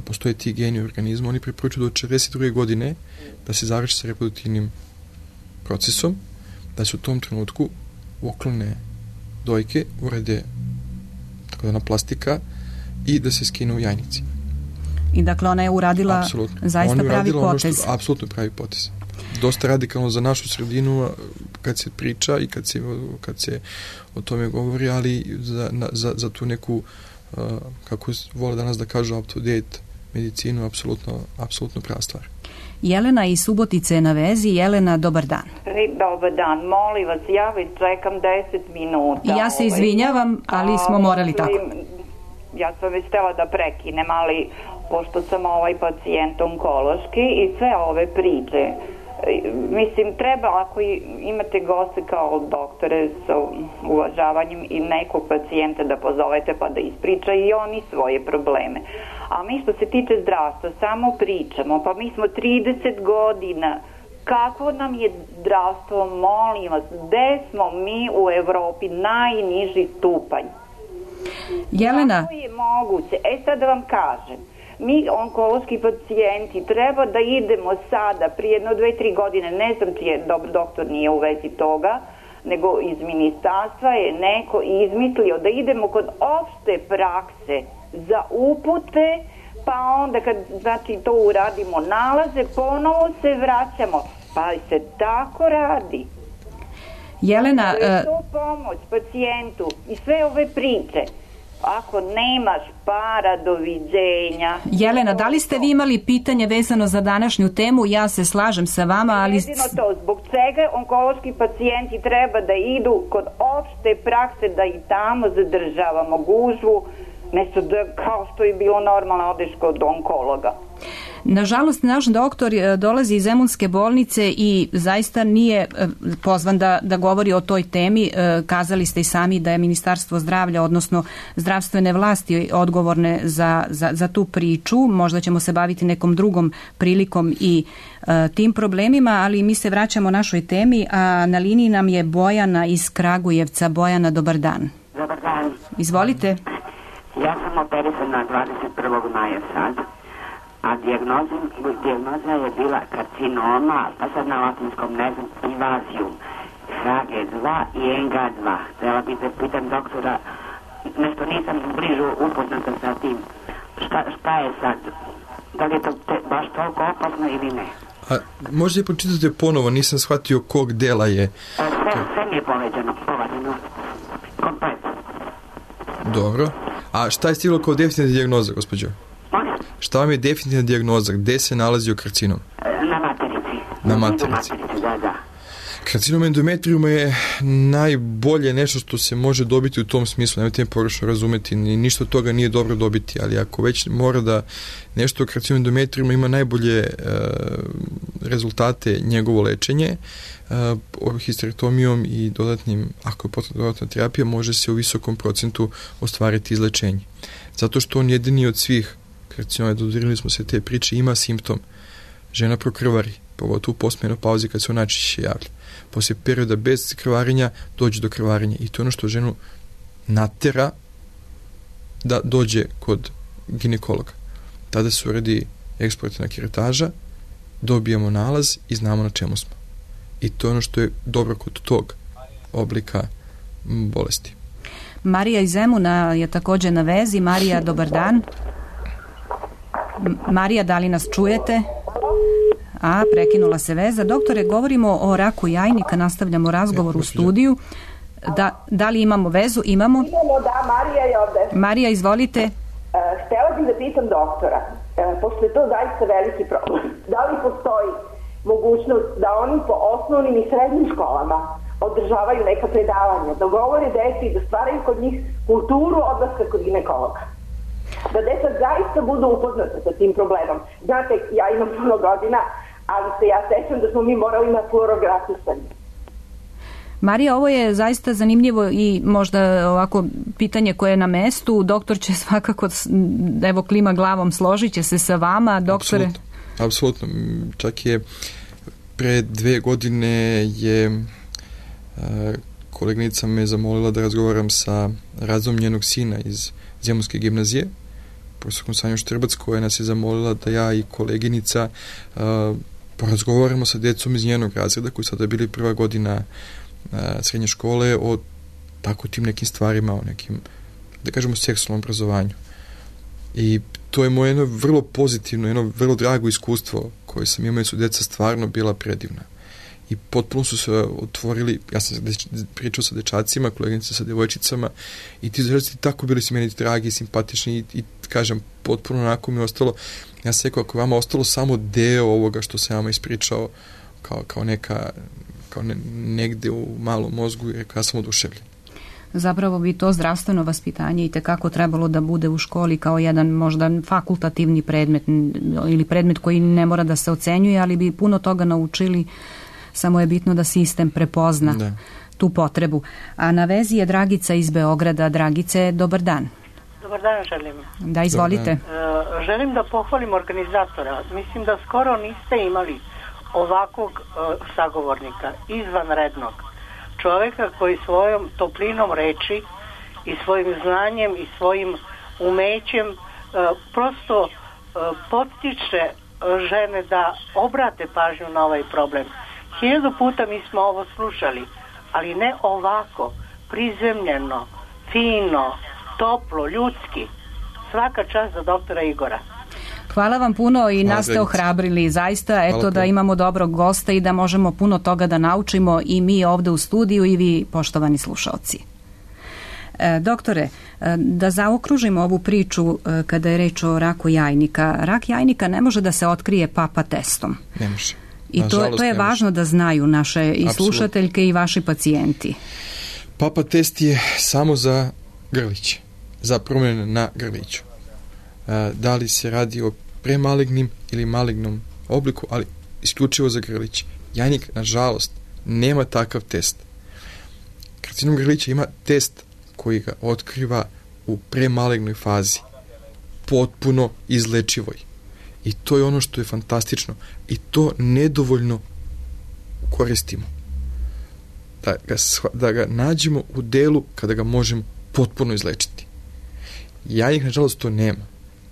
postoje ti geni u organizmu, oni preporučuju do 42. godine da se završi sa reproduktivnim procesom, da se u tom trenutku uklone dojke, urede takozvana plastika i da se skine u jajnici. I dakle ona je uradila zaista pravi potez. Apsolutno pravi potez. dosta radikalno za našu sredinu kad se priča i kad se o tome govori, ali za tu neku, kako vole danas da kažu, up to date medicinu, apsolutno prava stvar. Jelena iz Subotice je na vezi. Jelena, dobar dan. Dobar dan, molim vas, ja već čekam 10 minuta. Ja se izvinjavam, ali smo morali tako. Ja sam već htjela da prekinem, ali pošto sam pacijent onkološki i sve ove priče, mislim, treba, ako imate goste kao doktore sa uvažavanjem i nekog pacijenta da pozovete pa da ispriča i oni svoje probleme. A mi što se tiče zdravstva samo pričamo, pa mi smo 30 godina, kako nam je zdravstvo, molim vas, gde smo mi u Evropi, najniži stupanj? Jelena. Kako je moguće? Sad da vam kažem, mi onkološki pacijenti treba da idemo sada, prije jedno 2-3 godine, ne znam čiji je doktor nije u vezi toga, nego iz ministarstva je neko izmislio da idemo kod opšte prakse za upute, pa onda kad to uradimo nalaze, ponovo se vraćamo, pa se tako radi. Jelena, to je to pomoć pacijentu i sve ove priče. Ako nemaš para, doviđenja. Jelena, da li ste vi imali pitanje vezano za današnju temu? Ja se slažem sa vama, ali... Jedino to, zbog čega onkološki pacijenti treba da idu kod opšte prakse, da i tamo zadržavamo gužvu, nešto da, kao što je bilo normalno, odeš kod onkologa. Nažalost, naš doktor dolazi iz Zemunske bolnice i zaista nije pozvan da govori o toj temi. Kazali ste i sami da je Ministarstvo zdravlja, odnosno zdravstvene vlasti odgovorne za tu priču. Možda ćemo se baviti nekom drugom prilikom i tim problemima, ali mi se vraćamo našoj temi, a na liniji nam je Bojana iz Kragujevca. Bojana, dobar dan. Dobar dan. Izvolite. Ja sam operisana 21. maja sad. A dijagnoza je bila karcinoma, pa sad na latinskom ne znam, invazijum, HG2 i NG2. Htjela bih da pitam doktora, nešto nisam bližu upoznata sa tim. Šta je sad? Da li je to baš toliko opasno ili ne? A možda je pročitate ponovo, nisam shvatio kog dela je. Sve mi je poveđeno, komplet. Dobro. A šta je stiglo kao definitivna dijagnoza, gospođo? Šta vam je definitivna dijagnoza? Gde se nalazio karcinom? Na materici. Na materici. Da. Karcinom endometrijuma je najbolje nešto što se može dobiti u tom smislu. Nemojte me pogrešno razumeti, ništa od toga nije dobro dobiti, ali ako već mora da nešto o karcinom endometrijuma ima najbolje rezultate njegovo lečenje, histerektomijom i dodatnim, ako je potrebna dodatna terapija, može se u visokom procentu ostvariti izlečenje. Zato što on jedini od svih karcinoma, dodirili smo se te priče, ima simptom. Žena prokrvari, pogotovo u postmenopauzi kad se on najčešće javlja. Poslije perioda bez krvarenja dođe do krvarenja i to je ono što ženu natera da dođe kod ginekologa. Tada se uradi eksplorativna kerataža, dobijamo nalaz i znamo na čemu smo. I to je ono što je dobro kod tog oblika bolesti. Marija iz Zemuna je također na vezi. Marija, dobar dan. Marija, da li nas čujete? Prekinula se veza. Doktore, govorimo o raku jajnika, nastavljamo razgovor u studiju. Da li imamo vezu? Imamo, da, Marija je ovde. Marija, izvolite. Htjela bih da pitam doktora, pošto je to zaista veliki problem, da li postoji mogućnost da oni po osnovnim i srednjim školama održavaju neka predavanja, da govore deci, da stvaraju kod njih kulturu odlaska kod ginekologa? Da deca zaista budu upoznata sa tim problemom. Znate, ja imam puno godina, ali se ja sećam da smo mi morali na fluorografisanje. Marija, ovo je zaista zanimljivo i možda ovako pitanje koje je na mestu. Doktor će svakako, evo klima glavom, složit će se sa vama, doktore. Apsolutno. Čak je pre 2 godine je koleginica me zamolila da razgovaram sa razom njenog sina iz Zemunske gimnazije, profesorkom Sanjom Štrbac, koja nas je zamolila da ja i koleginica porazgovaramo sa djecom iz njenog razreda, koji sada bili prva godina srednje škole, o tako tim nekim stvarima, o nekim, da kažemo, seksualnom obrazovanju. I to je moje jedno vrlo pozitivno, jedno vrlo drago iskustvo koje sam imao su djeca stvarno bila predivna. I potpuno su se otvorili, ja sam pričao sa dečacima, koleginica sa djevojčicama i ti dečaci tako bili su meni dragi, simpatični i kažem, potpuno onako mi je ostalo, ja sam rekao, ako je vama ostalo samo deo ovoga što sam vama ispričao kao negde u malom mozgu, ja sam oduševljen. Zapravo bi to zdravstveno vaspitanje i tekako trebalo da bude u školi kao jedan možda fakultativni predmet ili predmet koji ne mora da se ocenjuje, ali bi puno toga naučili, samo je bitno da sistem prepozna tu potrebu. A na vezi je Dragica iz Beograda. Dragice, dobar dan. Dobar dan želim. Da, izvolite. Želim da pohvalim organizatora. Mislim da skoro niste imali ovakvog sagovornika, izvanrednog čoveka koji svojom toplinom reči i svojim znanjem i svojim umećem prosto podstiče žene da obrate pažnju na ovaj problem. 1000 puta mi smo ovo slušali, ali ne ovako, prizemljeno, fino, toplo, ljudski. Svaka čast za doktora Igora. Hvala vam puno i nas ste ohrabrili zaista, eto da imamo dobrog gosta i da možemo puno toga da naučimo i mi ovde u studiju i vi poštovani slušaoci. Doktore, da zaokružimo ovu priču kada je reč o raku jajnika. Rak jajnika ne može da se otkrije papa testom. Ne može. I to je važno da znaju naše i slušateljke i vaši pacijenti. Papa test je samo za grliće, za promjene na grliću. Da li se radi o premalignim ili malignom obliku, ali isključivo za grliće. Jajnik, nažalost, nema takav test. Karcinom grlića ima test koji ga otkriva u premalignoj fazi, potpuno izlečivoj. I to je ono što je fantastično. I to nedovoljno koristimo. Da ga nađemo u delu kada ga možemo potpuno izlečiti. Jajnik, nažalost, to nema.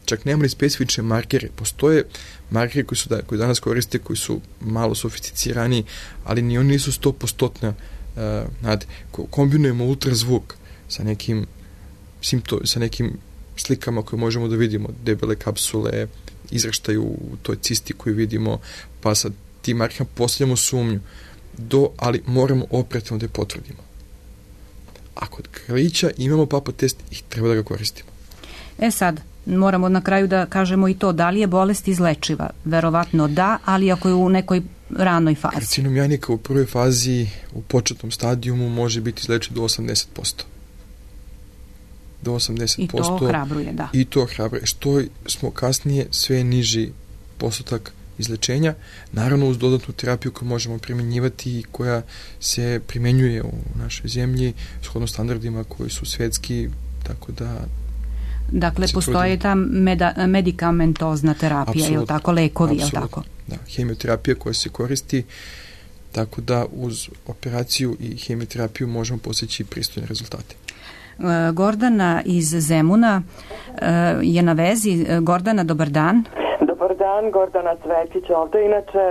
Čak nema ni specifične markere. Postoje markeri koji danas koriste, koji su malo sofisticirani, ali ni oni nisu 100%. Kombinujemo ultrazvuk sa nekim slikama koje možemo da vidimo, debele kapsule, izraštaju u toj cisti koju vidimo, pa sa tim markerima postavljamo sumnju, ali moramo operativno da je potvrdimo. A kod grlića imamo papa test i treba da ga koristimo. Sad, moramo na kraju da kažemo i to, da li je bolest izlečiva? Verovatno da, ali ako je u nekoj ranoj fazi. Karcinom jajnika u prvoj fazi, u početnom stadijumu, može biti izlečiv do 80%. Do 80%. I to ohrabruje, da. I to ohrabruje. Što smo kasnije, sve niži postotak izlečenja, naravno uz dodatnu terapiju koju možemo primjenjivati i koja se primjenjuje u našoj zemlji shodno standardima koji su svetski, tako da dakle, postoje ta medikamentozna terapija, je li tako, lekovi, je li tako? Da, hemioterapija koja se koristi, tako da uz operaciju i hemioterapiju možemo postići pristojne rezultate. Gordana iz Zemuna je na vezi. Gordana, dobar dan. Dobar dan, Gordana Cvetić ovde, inače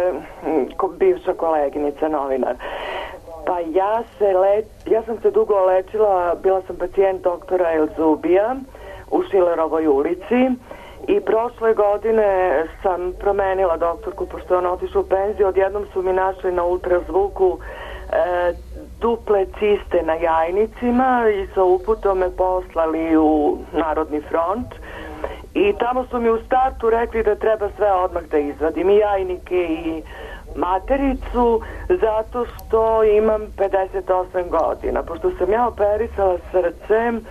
bivša koleginica, novinar. Pa ja sam se dugo lečila, bila sam pacijent doktora Elzubija u Šilerovoj ulici i prošle godine sam promenila doktorku pošto je ona otišla u penziju. Odjednom su mi našli na ultrazvuku duple ciste na jajnicima i sa uputom me poslali u Narodni front i tamo su mi u startu rekli da treba sve odmah da izvadim, i jajnike i matericu, zato što imam 58 godina. Pošto sam ja operisala srcem,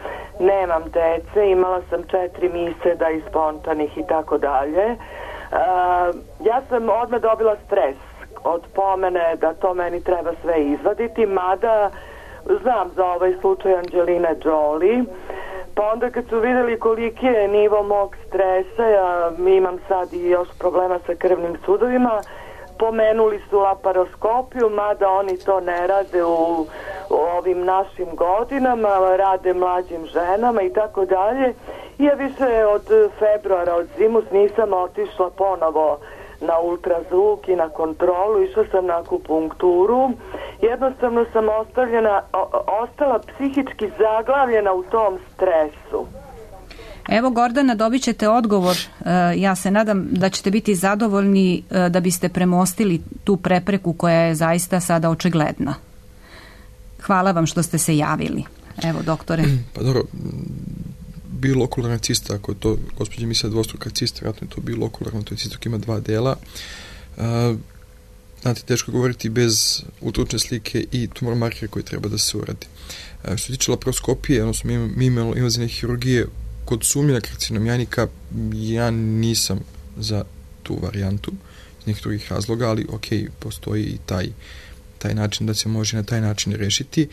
nemam dece, imala sam 4 miseda i spontanih i tako dalje. Ja sam odmah dobila stres od pomene da to meni treba sve izvaditi, mada znam za ovaj slučaj Angelina Jolie. Pa onda kad su vidjeli koliki je nivo mog stresa, ja imam sad i još problema sa krvnim sudovima, pomenuli su laparoskopiju, mada oni to ne rade u ovim našim godinama, rade mlađim ženama i tako dalje. Ja više od februara, od zimus, nisam otišla ponovo na ultrazvuk i na kontrolu, išla sam na akupunkturu. Jednostavno sam ostala psihički zaglavljena u tom stresu. Evo Gordana, dobit ćete odgovor. Ja se nadam da ćete biti zadovoljni da biste premostili tu prepreku koja je zaista sada očigledna. Hvala vam što ste se javili. Evo, doktore. Pa dobro, bilokularna cista, ako je to, gospođa misle dvostruka cista, vjerojatno je to bilokularno, to je cista koja ima 2 dela. Znate, teško govoriti bez ultravučne slike i tumor markera koji treba da se uradi. Što se tiče laparoskopije, odnosno invazivne hirurgije, kod sumnje na karcinom jajnika, ja nisam za tu varijantu iz nekih drugih razloga, ali ok, postoji i taj način da se može na taj način rešiti.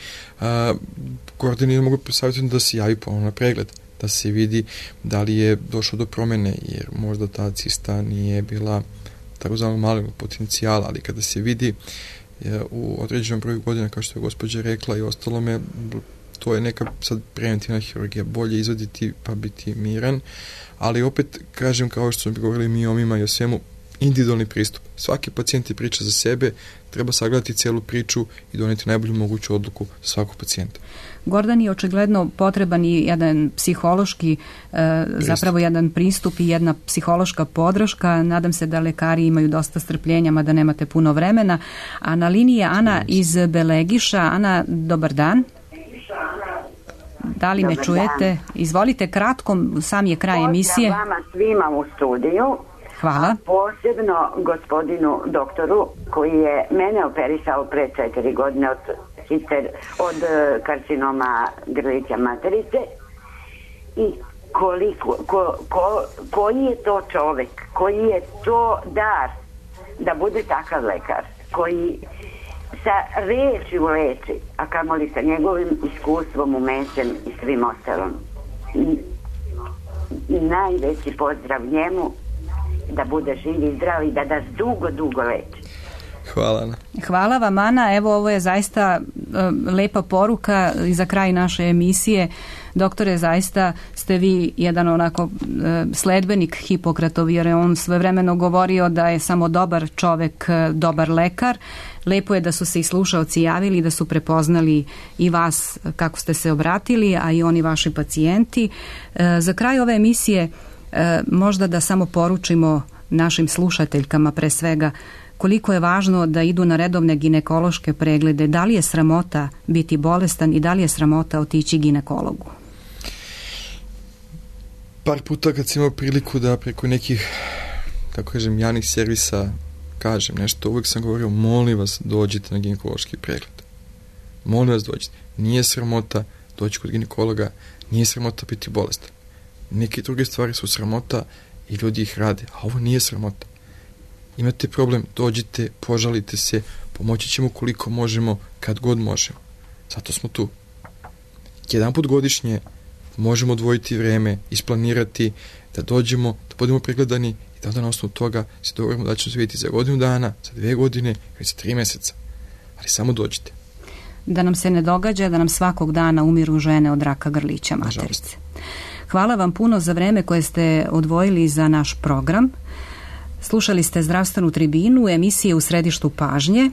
Gordani mogu posavjetiti da se javi ponovno na pregled, da se vidi da li je došlo do promene, jer možda ta cista nije bila takozvanog malignog potencijala, ali kada se vidi u određenom broju godina, kao što je gospođa rekla i ostalome, to je neka sad preventivna hirurgija, bolje izvaditi pa biti miran, ali opet kažem, kao što smo govorili miomima i o svemu, individualni pristup. Svaki pacijent je priča za sebe, treba sagledati celu priču i doneti najbolju moguću odluku za svakog pacijenta. Gordan, je očigledno potreban i jedan psihološki, zapravo jedan pristup i jedna psihološka podrška. Nadam se da lekari imaju dosta strpljenja, mada nemate puno vremena. A na liniji je Ana iz Belegiša. Ana, dobar dan. Da li me čujete? Izvolite, kratko, sam je kraj emisije. Pozdrav vama svima u studiju. Hvala. Posebno gospodinu doktoru koji je mene operisao pre 4 godine od karcinoma grlića materice i koji je to čovek, koji je to dar da bude takav lekar, koji sa rečju leči, a kamoli sa njegovim iskustvom, umećem i svim ostalom. Najveći pozdrav njemu, da bude živ i zdrav i da nas dugo leči. Hvala, Ana. Hvala vam, Ana. Evo, ovo je zaista lepa poruka i za kraj naše emisije. Doktore, zaista ste vi jedan onako sledbenik Hipokratov, jer je on svojevremeno govorio da je samo dobar čovek dobar lekar. Lepo je da su se i slušaoci javili, da su prepoznali i vas kako ste se obratili, a i oni vaši pacijenti. Za kraj ove emisije možda da samo poručimo našim slušateljkama pre svega koliko je važno da idu na redovne ginekološke preglede, da li je sramota biti bolestan i da li je sramota otići ginekologu? Par puta kad sam imao priliku da preko nekih, tako kažem, javnih servisa kažem nešto, uvijek sam govorio, molim vas dođite na ginekološki pregled. Molim vas dođite. Nije sramota doći kod ginekologa, nije sramota biti bolestan. Neke druge stvari su sramota i ljudi ih rade, a ovo nije sramota. Imate problem, dođite, požalite se, pomoći ćemo koliko možemo, kad god možemo. Zato smo tu. Jedan put godišnje možemo odvojiti vreme, isplanirati, da dođemo, da budemo pregledani i da onda na osnovu toga se dogovorimo da ćemo se vidjeti za godinu dana, za 2 godine ili za 3 mjeseca. Ali samo dođite. Da nam se ne događa da nam svakog dana umiru žene od raka grlića materice. Nažalost. Hvala vam puno za vreme koje ste odvojili za naš program. Slušali ste Zdravstvenu tribinu, emisije u središtu pažnje.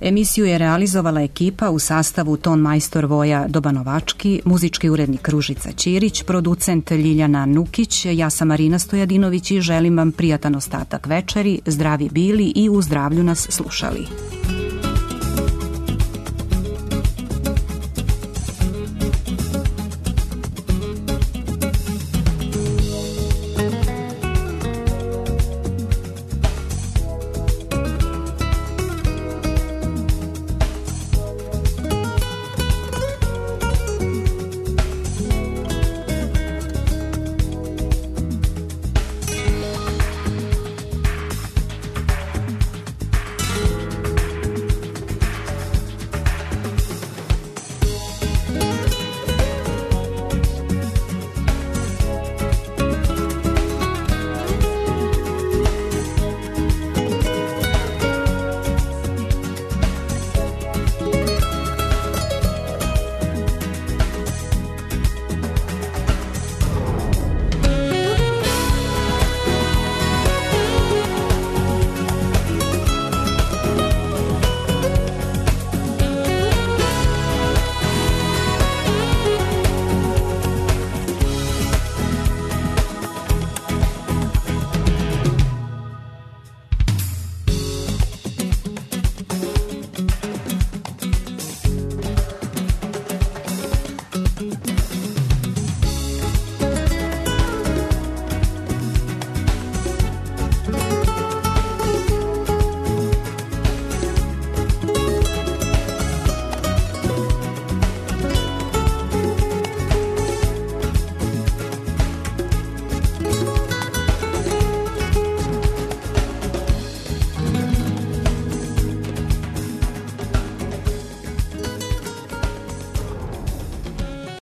Emisiju je realizovala ekipa u sastavu ton majstor Voja Dobanovački, muzički urednik Ružica Ćirić, producent Ljiljana Nukić, ja sam Marina Stojadinović i želim vam prijatan ostatak večeri, zdravi bili i u zdravlju nas slušali.